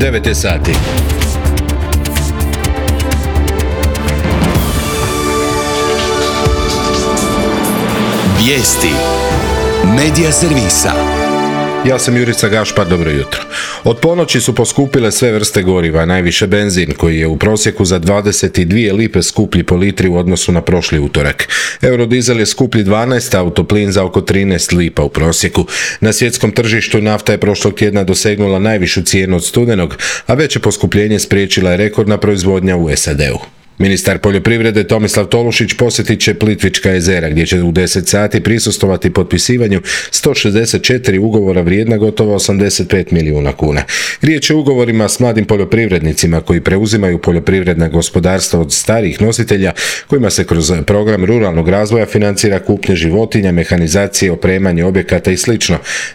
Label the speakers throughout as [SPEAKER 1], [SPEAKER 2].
[SPEAKER 1] 9 je sati.
[SPEAKER 2] Vijesti Medija servisa.
[SPEAKER 1] Ja sam Jurica Gašpar, dobro jutro. Od ponoći su poskupile sve vrste goriva, najviše benzin koji je u prosjeku za 22 lipe skuplji po litri u odnosu na prošli utorak. Eurodizel je skuplji 12, autoplin za oko 13 lipa u prosjeku. Na svjetskom tržištu nafta je prošlog tjedna dosegnula najvišu cijenu od studenog, a veće poskupljenje spriječila je rekordna proizvodnja u SAD-u. Ministar poljoprivrede Tomislav Tolušić posjetit će Plitvička jezera gdje će u 10 sati prisustvovati potpisivanju 164 ugovora vrijedna gotovo 85 milijuna kuna. Riječ je o ugovorima s mladim poljoprivrednicima koji preuzimaju poljoprivredna gospodarstva od starijih nositelja kojima se kroz program ruralnog razvoja financira kupnje životinja, mehanizacije, opremanje objekata i sl.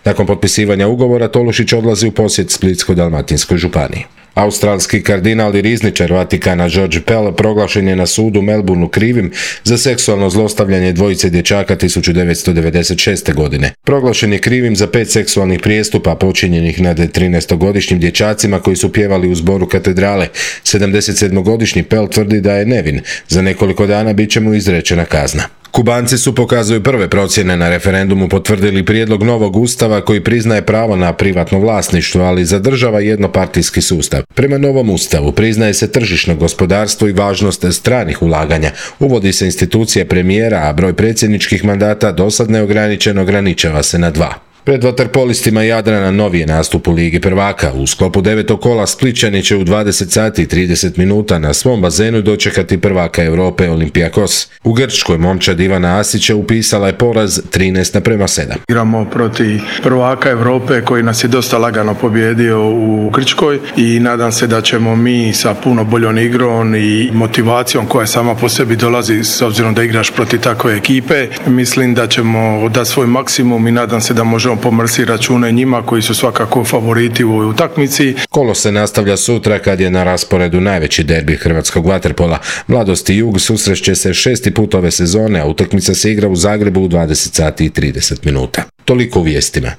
[SPEAKER 1] Nakon potpisivanja ugovora Tolušić odlazi u posjet Splitsko-dalmatinskoj županiji. Australski kardinal i rizničar Vatikana George Pell proglašen je na sudu u Melbourneu krivim za seksualno zlostavljanje dvojice dječaka 1996. godine. Proglašen je krivim za 5 seksualnih prijestupa počinjenih nad 13-godišnjim dječacima koji su pjevali u zboru katedrale. 77-godišnji Pell tvrdi da je nevin. Za nekoliko dana bit će mu izrečena kazna. Kubanci su, pokazuju prve procjene, na referendumu potvrdili prijedlog novog ustava koji priznaje pravo na privatno vlasništvo, ali zadržava jednopartijski sustav. Prema novom ustavu priznaje se tržišno gospodarstvo i važnost stranih ulaganja. Uvodi se institucija premijera, a broj predsjedničkih mandata dosad neograničen ograničava se na 2. Pred vaterpolistima Jadrana novi je nastup u Ligi prvaka. U sklopu 9. kola Splićani će u 20 sati i 30 minuta na svom bazenu dočekati prvaka Europe Olympiakos. U Grčkoj momčad Ivana Asića upisala je poraz 13:7.
[SPEAKER 3] Igramo protiv prvaka Europe koji nas je dosta lagano pobijedio u Grčkoj i nadam se da ćemo mi sa puno boljom igrom i motivacijom koja sama po sebi dolazi s obzirom da igraš protiv takve ekipe. Mislim da ćemo dati svoj maksimum i nadam se da možemo pomrsi račune njima koji su svakako favoriti u ovoj utakmici.
[SPEAKER 1] Kolo se nastavlja sutra kad je na rasporedu najveći derbi hrvatskog vaterpola. Mladost i Jug susreće se 6. put ove sezone, a utakmica se igra u Zagrebu u 20 sati i 30 minuta. Toliko u vijestima.